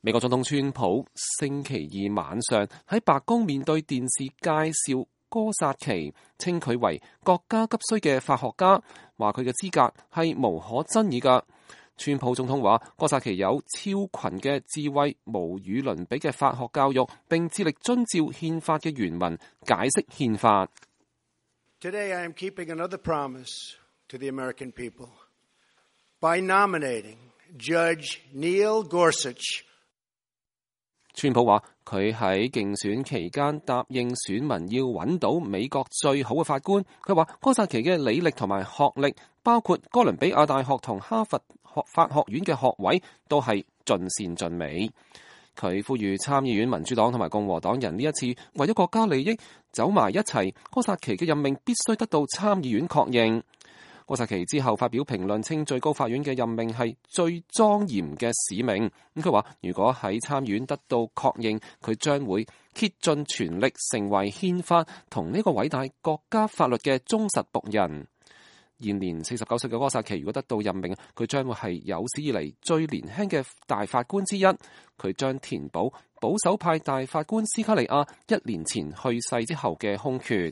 美國總統川普星期二晚上喺白宮面對電視介紹哥薩奇，稱佢為國家急需嘅法學家，話佢嘅資格係無可爭議㗎。川普總統話哥薩奇有超群嘅智慧、無與倫比嘅法學教育，並致力遵照憲法嘅原文解釋憲法。Today I am keeping another promise to the American people by nominating Judge Neil Gorsuch。川普話佢喺競選期間答應選民要揾到美國最好嘅法官。佢話哥薩奇嘅履歷同埋學歷，包括哥倫比亞大學同哈佛法學院嘅學位，都係盡善盡美。佢呼籲參議院民主黨同埋共和黨人呢一次為咗國家利益走埋一齊，哥薩奇嘅任命必須得到參議院確認。哥薩奇之後發表評論，稱最高法院嘅任命係最莊嚴嘅使命。咁佢話如果喺參議院得到確認，佢將會竭盡全力成為憲法同呢個偉大國家法律嘅忠實僕人。現年49歲嘅哥薩奇如果得到任命，佢將會係有史以嚟最年輕嘅大法官之一。佢將填補保守派大法官斯卡利亞1年前去世之後嘅空缺。